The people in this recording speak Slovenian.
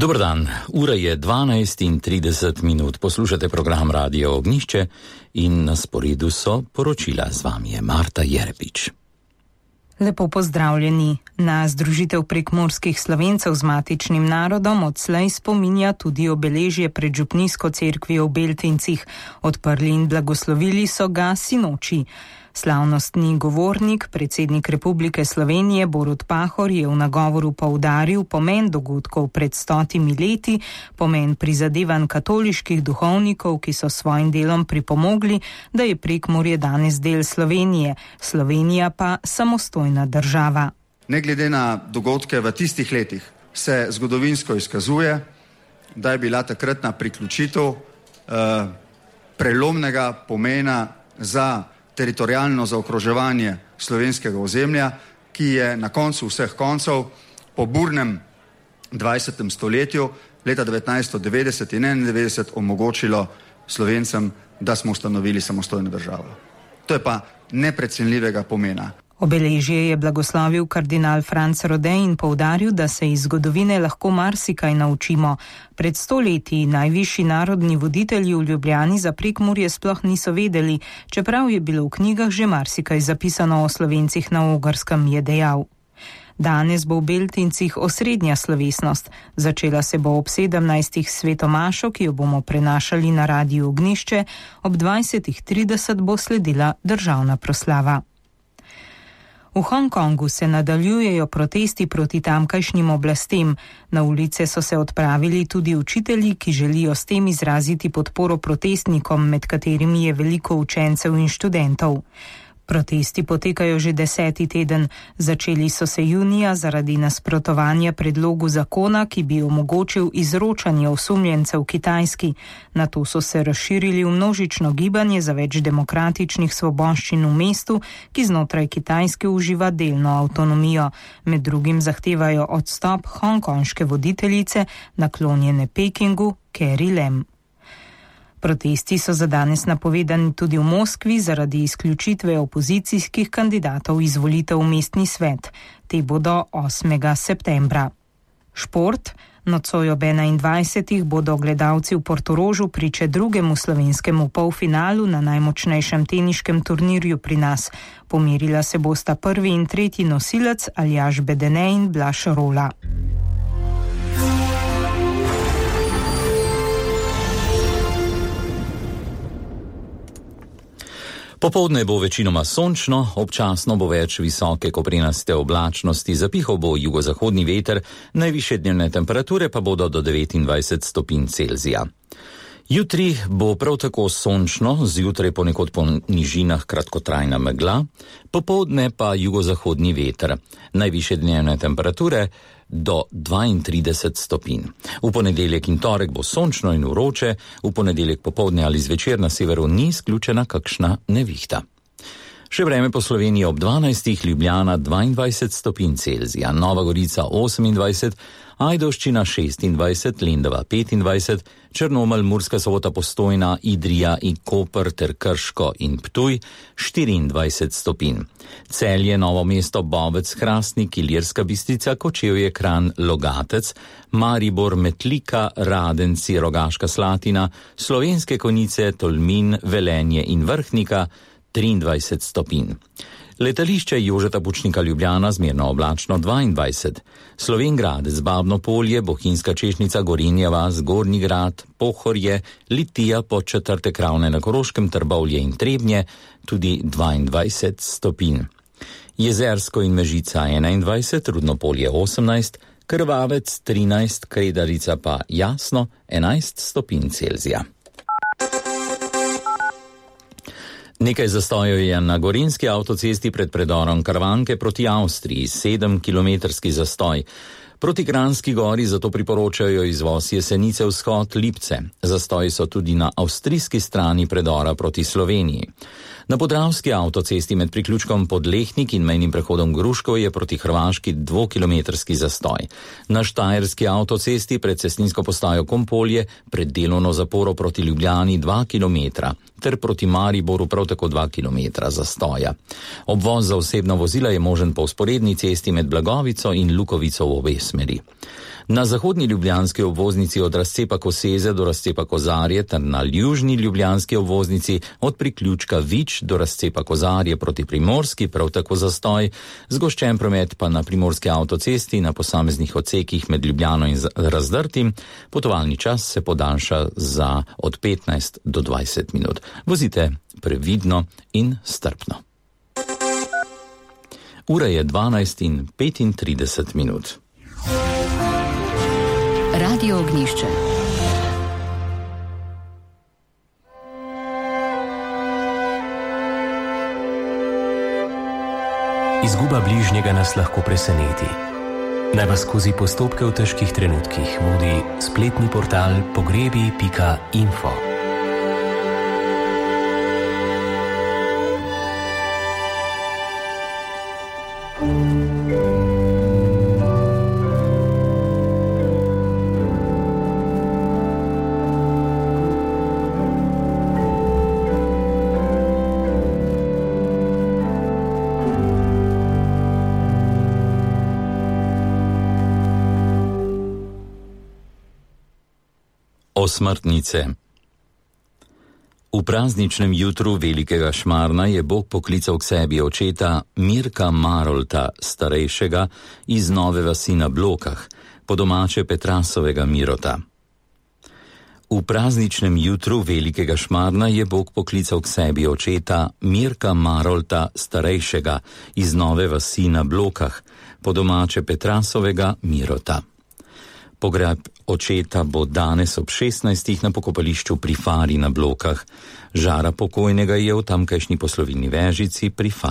Dobar dan, ura je 12:30, poslušate program Radio Ognjišče in na sporedu so poročila. Z vami je Marta Jerepič. Lepo pozdravljeni. Na združitev prekmurskih Slovencev z matičnim narodom odslej spominja tudi obeležje pred župnijsko cerkvijo v Beltincih. Odprli in blagoslovili so ga sinoči. Slavnostni govornik, predsednik Republike Slovenije Borut Pahor, je v nagovoru poudaril pomen dogodkov pred 100 leti, pomen prizadevanj katoliških duhovnikov, ki so svojim delom pripomogli, da je Prekmurje danes del Slovenije, Slovenija pa samostojna država. Ne glede na dogodke v tistih letih se zgodovinsko izkazuje, da je bila takratna priključitev prelomnega pomena za teritorijalno zaokroževanje slovenskega ozemlja, ki je na koncu vseh koncev po burnem 20. stoletju leta 1990 in 1991 omogočilo Slovencem, da smo ustanovili samostojno državo. To je pa neprecenljivega pomena. Obeležje je blagoslovil kardinal Franc Rode in poudaril, da se iz zgodovine lahko marsikaj naučimo. Pred 100 leti najvišji narodni voditelji v Ljubljani za Prekmurje sploh niso vedeli, čeprav je bilo v knjigah že marsikaj zapisano o Slovencih na Ogrskem, je dejal. Danes bo v Beltincih osrednja slovesnost. Začela se bo ob 17. svetomašo, ki jo bomo prenašali na Radiu Ognjišče, ob 20:30 bo sledila državna proslava. V Hongkongu se nadaljujejo protesti proti tamkajšnjim oblastem. Na ulice so se odpravili tudi učitelji, ki želijo s tem izraziti podporo protestnikom, med katerimi je veliko učencev in študentov. Protesti potekajo že 10. teden. Začeli so se junija zaradi nasprotovanja predlogu zakona, ki bi omogočil izročanje osumljencev Kitajski. Nato so se razširili v množično gibanje za več demokratičnih svoboščin v mestu, ki znotraj Kitajske uživa delno avtonomijo. Med drugim zahtevajo odstop hongkonške voditeljice, naklonjene Pekingu, Carrie Lam. Protesti so za danes napovedani tudi v Moskvi zaradi izključitve opozicijskih kandidatov iz volitev v mestni svet. Te bodo 8. septembra. Šport. Nocoj ob 21. bodo gledalci v Portorožu priče drugemu slovenskemu polfinalu na najmočnejšem teniškem turnirju pri nas. Pomerila se bosta prvi in tretji nosilec Aljaž Bedene in Blaž Rola. Popoldne bo večinoma sončno, občasno bo več visoke koprenaste oblačnosti, zapihal bo jugozahodni veter, najvišje dnevne temperature pa bodo do 29 stopinj Celzija. Jutri bo prav tako sončno, zjutraj ponekod po nižinah kratkotrajna megla, popoldne pa jugozahodni veter, najvišje dnevne temperature do 32 stopinj. V ponedeljek in torek bo sončno in vroče, v ponedeljek popoldne ali zvečer na severu ni izključena kakšna nevihta. Še vreme po Sloveniji ob 12. Ljubljana 22 stopinj Celzija, Nova Gorica 28, Ajdovščina 26, Lendava 25, Črnomelj, Murska Sobota, Postojna, Idrija in Koper ter Krško in Ptuj 24 stopinj. Celje, Novo mesto, Bovec, Hrastnik, Ilirska Bistrica, Kočevje, Kranj, Logatec, Maribor, Metlika, Radenci, Rogaška Slatina, Slovenske Konjice, Tolmin, Velenje in Vrhnika 23 stopinj. Letališče Jožeta Pučnika Ljubljana zmerno oblačno 22, Slovenjgradec, Babno Polje, Bohinjska Češnica, Gorenja vas, Gornji Grad, Pohorje, Litija, Podčetrtek, Ravne na Koroškem, Trbovlje in Trebnje tudi 22 stopinj. Jezersko in Mežica 21, Rudnopolje 18, Krvavec 13, Kredarica pa Jasno 11 stopinj Celzija. Nekaj zastojev je na Gorenjski avtocesti pred predorom Krvanke proti Avstriji, 7-kilometrski zastoj. Proti Kranjski gori zato priporočajo izvoz Jesenice vzhod Lipce. Zastoji so tudi na avstrijski strani predora proti Sloveniji. Na Podravski avtocesti med priključkom Podlehnik in mejnim prehodom Gruškov je proti Hrvaški 2-kilometrski zastoj. Na Štajerski avtocesti pred cestninsko postajo Kompolje pred delovno zaporo proti Ljubljani 2 kilometra. ter proti Mariboru prav tako 2 km zastoja. Obvoz za osebna vozila je možen po vzporedni cesti med Blagovico in Lukovico v obe smeri. Na zahodni ljubljanski obvoznici od razcepa Koseze do razcepa Kozarje ter na južni ljubljanski obvoznici od priključka Vič do razcepa Kozarje proti Primorski prav tako zastoj, zgoščen promet pa na primorski avtocesti na posameznih odsekih med Ljubljano in Razdrtim. Potovalni čas se podaljša za od 15 do 20 minut. Vozite previdno in strpno. Ura je 12:35. Radio Ognjišče. Izguba bližnjega nas lahko preseneti. Naj vas skozi postopke v težkih trenutkih vodi spletni portal pogrebi.info. Osmrtnice. V prazničnem jutru velikega Šmarna je Bog poklical k sebi očeta Mirka Marolta, starejšega iz Nove vasi na Blokah, po domače Petrasovega Mirota. V prazničnem jutru velikega Šmarna je Bog poklical k sebi očeta Mirka Marolta, starejšega iz Nove vasi na Blokah, po domače Petrasovega Mirota. Pogreb očeta bo danes ob 16. na pokopališču pri Fari na Blokah. Žara pokojnega je v tamkajšnji poslovilni Vežici pri Fari.